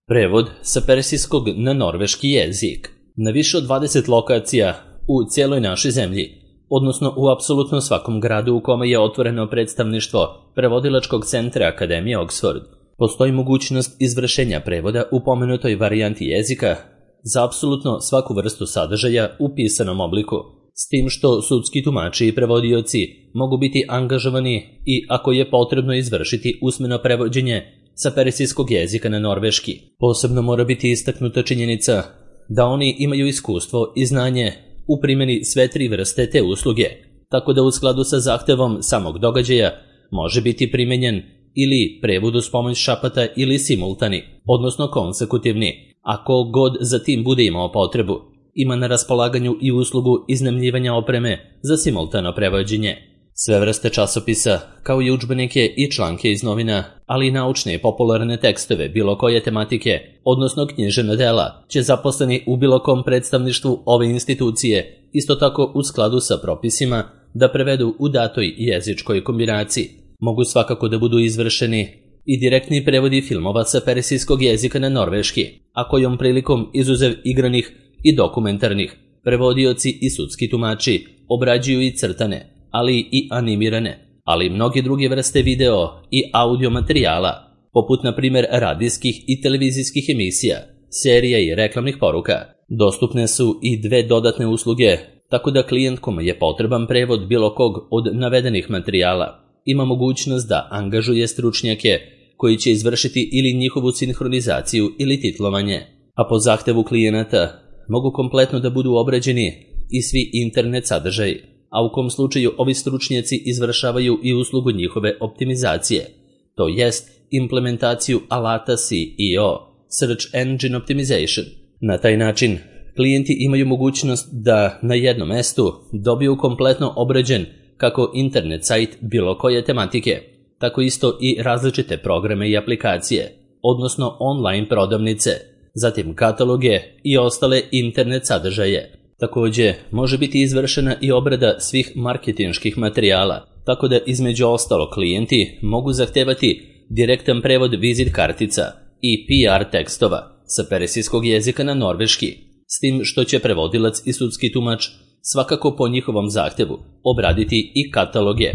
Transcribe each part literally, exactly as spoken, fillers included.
Prevod sa persijskog na norveški jezik na više od dvadeset lokacija u cijeloj našoj zemlji, odnosno u apsolutno svakom gradu u kome je otvoreno predstavništvo prevodilačkog centra Akademije Oxford, postoji mogućnost izvršenja prevoda u pomenutoj varijanti jezika za apsolutno svaku vrstu sadržaja u pisanom obliku, s tim što sudski tumači i prevodioci mogu biti angažovani i ako je potrebno izvršiti usmeno prevođenje sa persijskog jezika na norveški. Posebno mora biti istaknuta činjenica da oni imaju iskustvo i znanje u primjeni sve tri vrste te usluge, tako da u skladu sa zahtevom samog događaja može biti primenjen ili prevod uz pomoć šapata ili simultani, odnosno konsekutivni, ako god za tim bude imao potrebu. Ima na raspolaganju i uslugu iznajmljivanja opreme za simultano prevođenje. Sve vrste časopisa, kao i udžbenike i članke iz novina, ali i naučne i popularne tekstove bilo koje tematike, odnosno književna dela, će zaposleni u bilo kom predstavništvu ove institucije, isto tako u skladu sa propisima, da prevedu u datoj jezičkoj kombinaciji. Mogu svakako da budu izvršeni i direktni prevodi filmova sa persijskog jezika na norveški, a kojom prilikom izuzev igranih i dokumentarnih, prevodioci i sudski tumači obrađuju i crtane, ali i animirane, ali i mnoge druge vrste video i audio materijala, poput na primjer radijskih i televizijskih emisija, serija i reklamnih poruka. Dostupne su i dve dodatne usluge, tako da klijent kome je potreban prevod bilo kog od navedenih materijala ima mogućnost da angažuje stručnjake koji će izvršiti ili njihovu sinhronizaciju ili titlovanje, a po zahtevu klijenata mogu kompletno da budu obrađeni i svi internet sadržaji, a u kom slučaju ovi stručnjaci izvršavaju i uslugu njihove optimizacije, to jest implementaciju alata S E O, Search Engine Optimization. Na taj način, klijenti imaju mogućnost da na jednom mestu dobiju kompletno obrađen kako internet sajt bilo koje tematike, tako isto i različite programe i aplikacije, odnosno online prodavnice, zatim kataloge i ostale internet sadržaje. Također, može biti izvršena i obrada svih marketinških materijala, tako da između ostalo klijenti mogu zahtevati direktan prevod vizit kartica i P R tekstova sa persijskog jezika na norveški, s tim što će prevodilac i sudski tumač svakako po njihovom zahtevu obraditi i kataloge,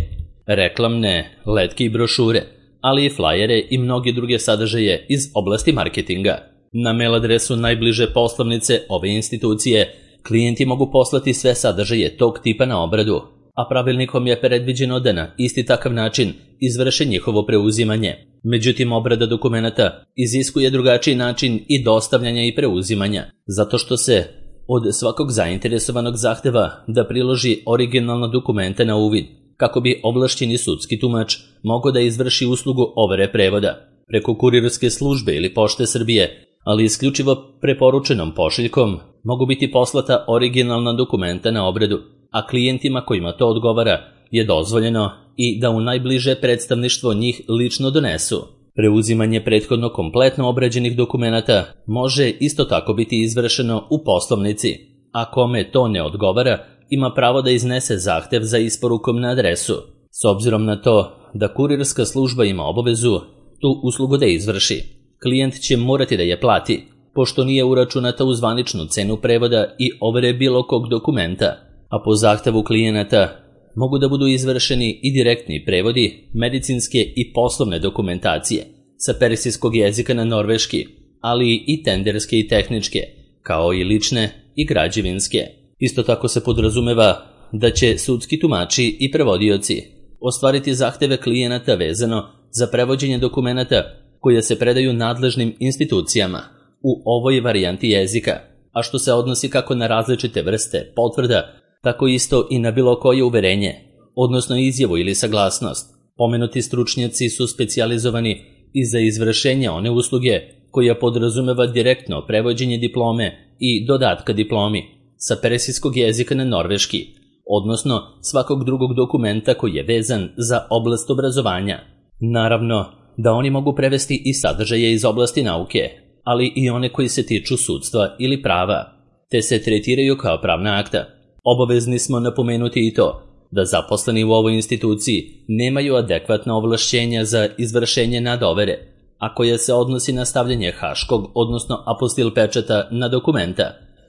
reklamne, letke i brošure, ali i flajere i mnoge druge sadržaje iz oblasti marketinga. Na mail adresu najbliže poslovnice ove institucije klijenti mogu poslati sve sadržaje tog tipa na obradu, a pravilnikom je predviđeno da na isti takav način izvrše njihovo preuzimanje. Međutim, obrada dokumenata iziskuje drugačiji način i dostavljanja i preuzimanja, zato što se od svakog zainteresovanog zahteva da priloži originalna dokumenta na uvid, kako bi ovlašćeni sudski tumač mogao da izvrši uslugu overe prevoda preko kurirske službe ili Pošte Srbije, ali isključivo preporučenom pošiljkom mogu biti poslata originalna dokumenta na obradu, a klijentima kojima to odgovara je dozvoljeno i da u najbliže predstavništvo njih lično donesu. Preuzimanje prethodno kompletno obrađenih dokumenata može isto tako biti izvršeno u poslovnici, a kome to ne odgovara ima pravo da iznese zahtev za isporukom na adresu, s obzirom na to da kurirska služba ima obavezu tu uslugu da izvrši. Klijent će morati da je plati, pošto nije uračunata u zvaničnu cenu prevoda i overe bilo kog dokumenta, a po zahtevu klijenata mogu da budu izvršeni i direktni prevodi medicinske i poslovne dokumentacije sa persijskog jezika na norveški, ali i tenderske i tehničke, kao i lične i građevinske. Isto tako se podrazumeva da će sudski tumači i prevodioci ostvariti zahteve klijenata vezano za prevođenje dokumenata koje se predaju nadležnim institucijama u ovoj varijanti jezika, a što se odnosi kako na različite vrste potvrda, tako isto i na bilo koje uverenje, odnosno izjavu ili saglasnost. Pomenuti stručnjaci su specijalizovani i za izvršenje one usluge koja podrazumeva direktno prevođenje diplome i dodatka diplomi sa persijskog jezika na norveški, odnosno svakog drugog dokumenta koji je vezan za oblast obrazovanja. Naravno da oni mogu prevesti i sadržaje iz oblasti nauke, ali i one koji se tiču sudstva ili prava, te se tretiraju kao pravna akta. Obavezni smo napomenuti i to da zaposleni u ovoj instituciji nemaju adekvatna ovlašćenja za izvršenje nadovere, a koja se odnosi na stavljanje haškog, odnosno apostil pečata na dokumenta.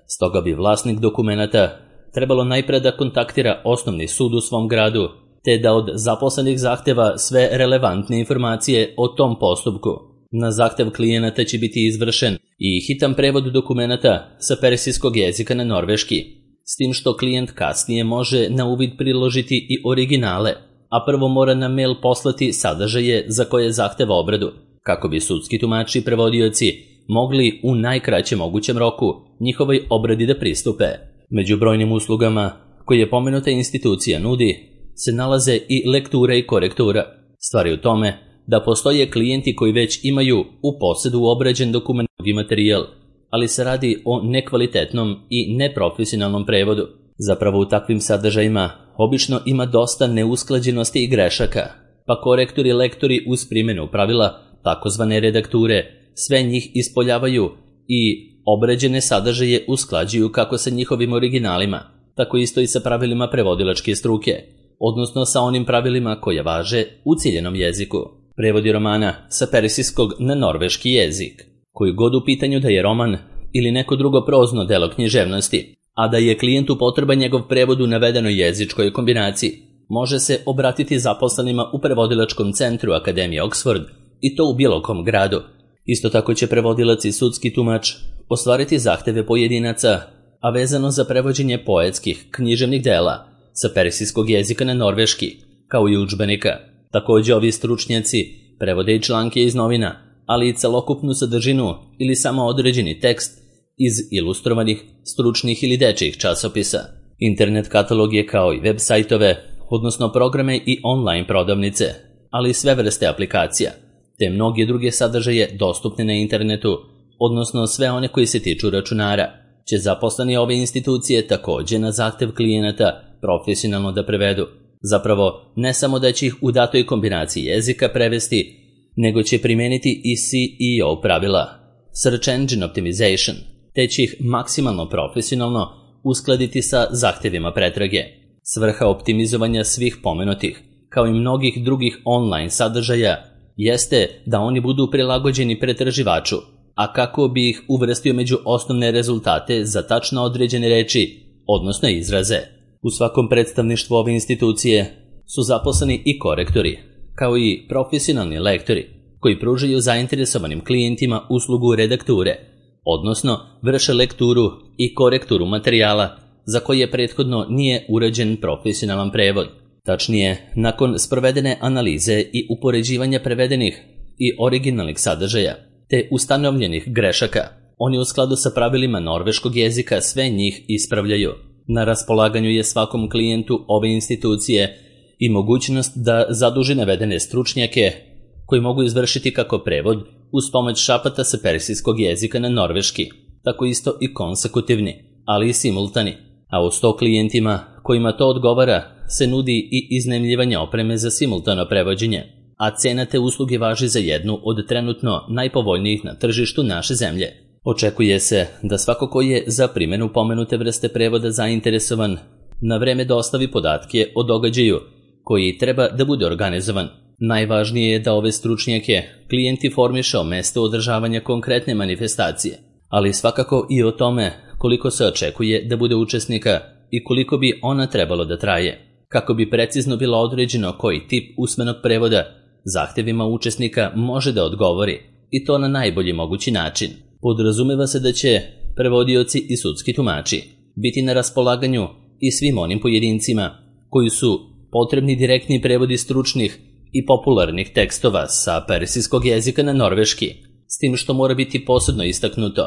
Stoga bi vlasnik dokumenata trebalo najpre da kontaktira osnovni sud u svom gradu, te da od zaposlenih zahteva sve relevantne informacije o tom postupku. Na zahtev klijenata će biti izvršen i hitan prevod dokumenata sa persijskog jezika na norveški, s tim što klijent kasnije može na uvid priložiti i originale, a prvo mora na mail poslati sadržaje za koje zahteva obradu, kako bi sudski tumači i prevodioci mogli u najkraćem mogućem roku njihovoj obradi da pristupe. Među brojnim uslugama koje pomenuta institucija nudi se nalaze i lektura i korektura. Stvar je u tome da postoje klijenti koji već imaju u posedu obrađen dokument i materijal, ali se radi o nekvalitetnom i neprofesionalnom prevodu. Zapravo u takvim sadržajima obično ima dosta neusklađenosti i grešaka, pa korektori i lektori uz primjenu pravila takozvane redakture sve njih ispoljavaju i obrađene sadržaje usklađuju kako sa njihovim originalima, tako isto i sa pravilima prevodilačke struke, odnosno sa onim pravilima koje važe u ciljenom jeziku. Prevodi romana sa persijskog na norveški jezik, koji god u pitanju da je roman ili neko drugo prozno delo književnosti, a da je klijentu potreban njegov prevod u navedenoj jezičkoj kombinaciji, može se obratiti zaposlenima u prevodilačkom centru Akademije Oxford i to u bilo kom gradu. Isto tako će prevodilac i sudski tumač ostvariti zahteve pojedinaca, a vezano za prevođenje poetskih književnih dela sa persijskog jezika na norveški, kao i udžbenika. Također ovi stručnjaci prevode i članke iz novina, ali i celokupnu sadržinu ili samo određeni tekst iz ilustrovanih, stručnih ili dečjih časopisa. Internet katalog je kao i web sajtove, odnosno programe i online prodavnice, ali i sve vrste aplikacija, te mnoge druge sadržaje dostupne na internetu, odnosno sve one koji se tiču računara, će zaposleni ove institucije također na zahtev klijenata profesionalno da prevedu. Zapravo, ne samo da će ih u datoj kombinaciji jezika prevesti, nego će primeniti i C E O pravila, Search Engine Optimization, te će ih maksimalno profesionalno uskladiti sa zahtevima pretrage. Svrha optimizovanja svih pomenutih, kao i mnogih drugih online sadržaja, jeste da oni budu prilagođeni pretraživaču, a kako bi ih uvrstio među osnovne rezultate za tačno određene reči, odnosno izraze. U svakom predstavništvu ove institucije su zaposleni i korektori, kao i profesionalni lektori, koji pružaju zainteresovanim klijentima uslugu redakture, odnosno vrše lekturu i korekturu materijala za koje prethodno nije urađen profesionalan prevod. Tačnije, nakon sprovedene analize i upoređivanja prevedenih i originalnih sadržaja, te ustanovljenih grešaka, oni u skladu sa pravilima norveškog jezika sve njih ispravljaju. Na raspolaganju je svakom klijentu ove institucije i mogućnost da zaduži navedene stručnjake koji mogu izvršiti kako prevod uz pomoć šapata sa persijskog jezika na norveški, tako isto i konsekutivni, ali i simultani. A u sto klijentima kojima to odgovara se nudi i iznajmljivanje opreme za simultano prevođenje, a cena te usluge važi za jednu od trenutno najpovoljnijih na tržištu naše zemlje. Očekuje se da svako ko je za primjenu pomenute vrste prevoda zainteresovan na vreme dostavi podatke o događaju koji treba da bude organizovan. Najvažnije je da ove stručnjake klijent informiše o mestu održavanja konkretne manifestacije, ali svakako i o tome koliko se očekuje da bude učesnika i koliko bi ona trebalo da traje, kako bi precizno bilo određeno koji tip usmenog prevoda zahtevima učesnika može da odgovori, i to na najbolji mogući način. Podrazumeva se da će prevodioci i sudski tumači biti na raspolaganju i svim onim pojedincima koji su potrebni direktni prevodi stručnih i popularnih tekstova sa persijskog jezika na norveški, s tim što mora biti posebno istaknuto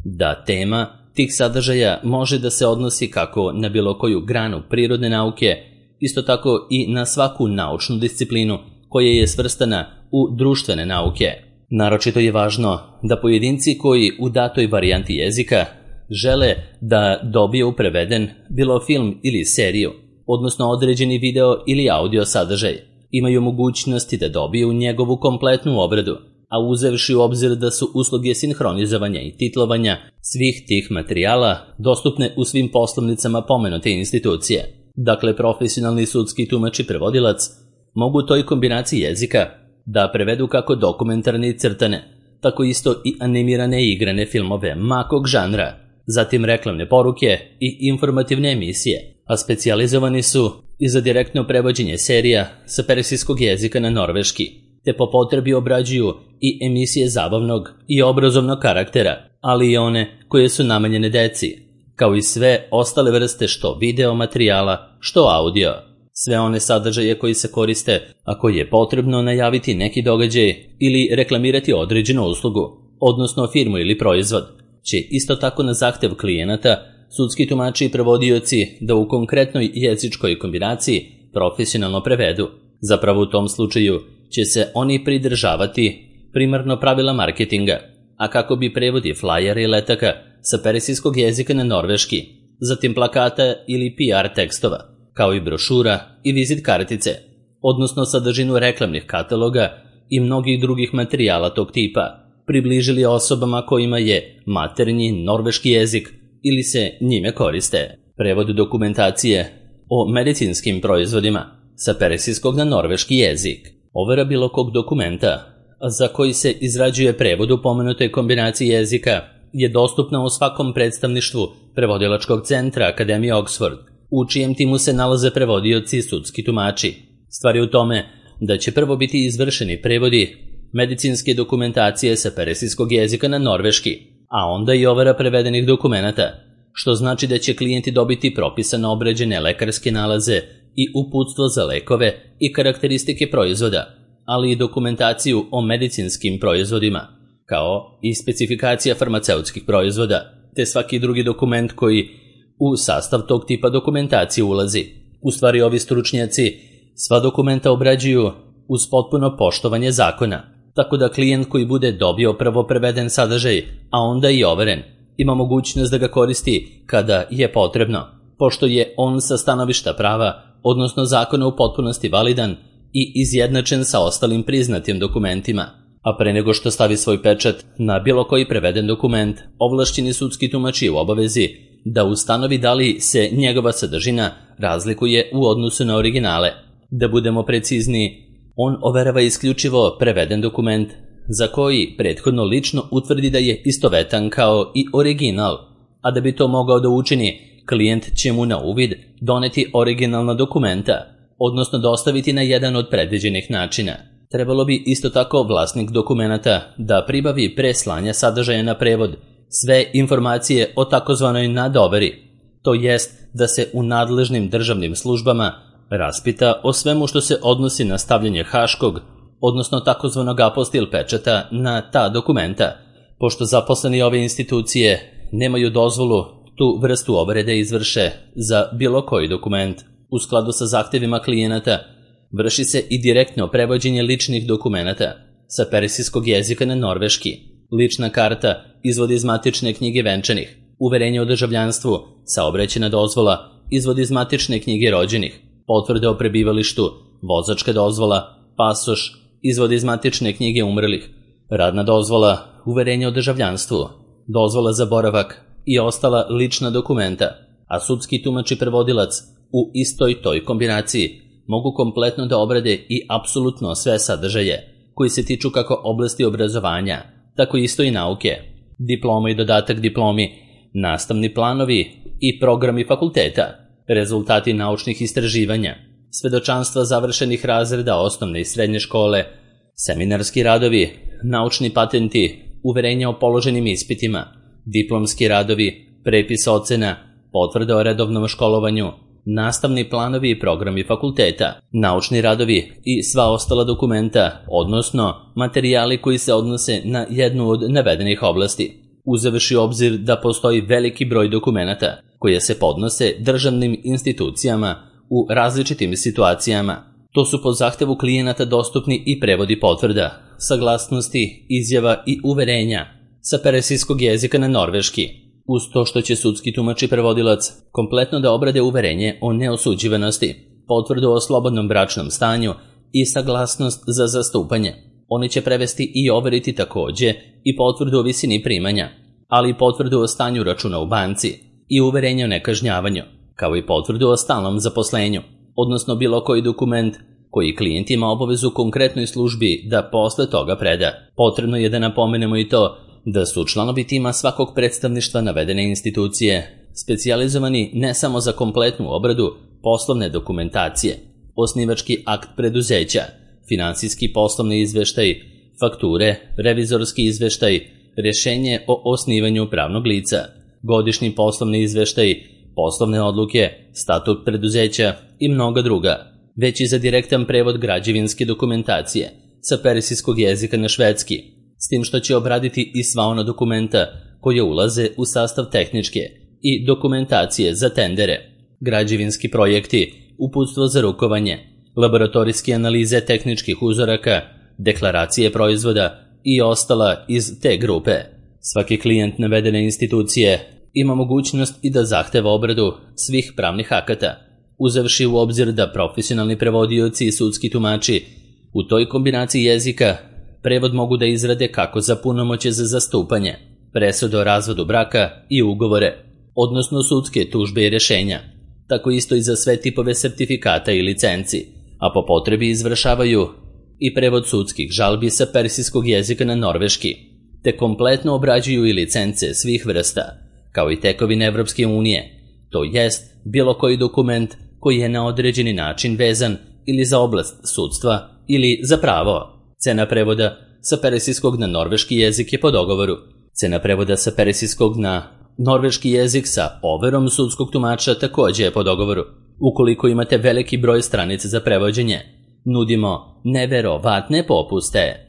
da tema tih sadržaja može da se odnosi kako na bilo koju granu prirodne nauke, isto tako i na svaku naučnu disciplinu koja je svrstana u društvene nauke. Naročito je važno da pojedinci koji u datoj varijanti jezika žele da dobiju preveden bilo film ili seriju, odnosno određeni video ili audio sadržaj, imaju mogućnosti da dobiju njegovu kompletnu obradu, a uzevši u obzir da su usluge sinhronizovanja i titlovanja svih tih materijala dostupne u svim poslovnicama pomenute institucije. Dakle, profesionalni sudski tumač i prevodilac mogu toj kombinaciji jezika da prevedu kako dokumentarne i crtane, tako isto i animirane i igrane filmove makog žanra, zatim reklamne poruke i informativne emisije, a specijalizovani su i za direktno prevođenje serija sa persijskog jezika na norveški, te po potrebi obrađuju i emisije zabavnog i obrazovnog karaktera, ali i one koje su namenjene deci, kao i sve ostale vrste što video materijala, što audio. Sve one sadržaje koji se koriste ako je potrebno najaviti neki događaj ili reklamirati određenu uslugu, odnosno firmu ili proizvod, će isto tako na zahtev klijenata sudski tumači i prevodioci da u konkretnoj jezičkoj kombinaciji profesionalno prevedu. Zapravo u tom slučaju će se oni pridržavati primarno pravila marketinga, a kako bi prevodi flajera i letaka sa persijskog jezika na norveški, zatim plakata ili P R tekstova, kao i brošura i vizit kartice, odnosno sadržinu reklamnih kataloga i mnogih drugih materijala tog tipa, približili osobama kojima je maternji norveški jezik ili se njime koriste. Prevod dokumentacije o medicinskim proizvodima sa persijskog na norveški jezik. Overa bilo kog dokumenta za koji se izrađuje prevod u pomenutoj kombinaciji jezika je dostupna u svakom predstavništvu prevodilačkog centra Akademije Oxford, u čijem timu se nalaze prevodioci i sudski tumači. Stvar je u tome da će prvo biti izvršeni prevodi medicinske dokumentacije sa persijskog jezika na norveški, a onda i overa prevedenih dokumenata, što znači da će klijenti dobiti propisano obrađene lekarske nalaze i uputstvo za lekove i karakteristike proizvoda, ali i dokumentaciju o medicinskim proizvodima, kao i specifikacija farmaceutskih proizvoda, te svaki drugi dokument koji u sastav tog tipa dokumentacije ulazi. U stvari ovi stručnjaci sva dokumenta obrađuju uz potpuno poštovanje zakona, tako da klijent koji bude dobio prvo preveden sadržaj, a onda i overen, ima mogućnost da ga koristi kada je potrebno, pošto je on sa stanovišta prava, odnosno zakona u potpunosti validan i izjednačen sa ostalim priznatim dokumentima. A pre nego što stavi svoj pečat na bilo koji preveden dokument, ovlašćeni sudski tumač je u obavezi da ustanovi da li se njegova sadržina razlikuje u odnosu na originale. Da budemo precizniji, on overava isključivo preveden dokument za koji prethodno lično utvrdi da je istovetan kao i original, a da bi to mogao da učini, klijent će mu na uvid doneti originalna dokumenta, odnosno dostaviti na jedan od predviđenih načina. Trebalo bi isto tako vlasnik dokumenata da pribavi pre slanja sadržaja na prevod sve informacije o takozvanoj nadoveri, to jest da se u nadležnim državnim službama raspita o svemu što se odnosi na stavljanje haškog, odnosno takozvanog apostil pečata na ta dokumenta, pošto zaposleni ove institucije nemaju dozvolu tu vrstu overe da izvrše za bilo koji dokument. U skladu sa zahtevima klijenata vrši se i direktno prevođenje ličnih dokumenata sa persijskog jezika na norveški, lična karta, izvod iz matične knjige venčanih, uverenje o državljanstvu, saobraćajna dozvola, izvod iz matične knjige rođenih, potvrde o prebivalištu, vozačka dozvola, pasoš, izvod iz matične knjige umrlih, radna dozvola, uverenje o državljanstvu, dozvola za boravak i ostala lična dokumenta, a sudski tumač i prevodilac u istoj toj kombinaciji mogu kompletno da obrade i apsolutno sve sadržaje koji se tiču kako oblasti obrazovanja, tako isto i nauke, diploma i dodatak diplomi, nastavni planovi i programi fakulteta, rezultati naučnih istraživanja, svedočanstva završenih razreda osnovne i srednje škole, seminarski radovi, naučni patenti, uverenja o položenim ispitima, diplomski radovi, prepis ocena, potvrde o redovnom školovanju, nastavni planovi i programi fakulteta, naučni radovi i sva ostala dokumenta, odnosno materijali koji se odnose na jednu od navedenih oblasti, uzevši u obzir da postoji veliki broj dokumenata koje se podnose državnim institucijama u različitim situacijama. To su po zahtevu klijenata dostupni i prevodi potvrda, saglasnosti, izjava i uverenja sa persijskog jezika na norveški, uz to što će sudski tumač i prevodilac kompletno da obrade uverenje o neosuđivanosti, potvrdu o slobodnom bračnom stanju i saglasnost za zastupanje. Oni će prevesti i overiti takođe i potvrdu o visini primanja, ali i potvrdu o stanju računa u banci i uverenje o nekažnjavanju, kao i potvrdu o stalnom zaposlenju, odnosno bilo koji dokument koji klijent ima obavezu konkretnoj službi da posle toga preda. Potrebno je da napomenemo i to da su članovi tima svakog predstavništva navedene institucije specijalizovani ne samo za kompletnu obradu poslovne dokumentacije, osnivački akt preduzeća, finansijski poslovni izveštaj, fakture, revizorski izveštaj, rješenje o osnivanju pravnog lica, godišnji poslovni izveštaj, poslovne odluke, statut preduzeća i mnoga druga, već i za direktan prevod građevinske dokumentacije sa persijskog jezika na švedski, s tim što će obraditi i sva ona dokumenta koje ulaze u sastav tehničke i dokumentacije za tendere, građevinski projekti, uputstvo za rukovanje, laboratorijske analize tehničkih uzoraka, deklaracije proizvoda i ostala iz te grupe. Svaki klijent navedene institucije ima mogućnost i da zahteva obradu svih pravnih akata, uzevši u obzir da profesionalni prevodioci i sudski tumači u toj kombinaciji jezika prevod mogu da izrade kako za punomoćje za zastupanje, presude o razvodu braka i ugovore, odnosno sudske tužbe i rješenja, tako isto i za sve tipove sertifikata i licenci, a po potrebi izvršavaju i prevod sudskih žalbi sa persijskog jezika na norveški, te kompletno obrađuju i licence svih vrsta, kao i tekovine Evropske unije, to jest bilo koji dokument koji je na određeni način vezan ili za oblast sudstva ili za pravo. Cena prevoda sa persijskog na norveški jezik je po dogovoru. Cena prevoda sa persijskog na norveški jezik sa overom sudskog tumača također je po dogovoru. Ukoliko imate veliki broj stranica za prevođenje, nudimo neverovatne popuste.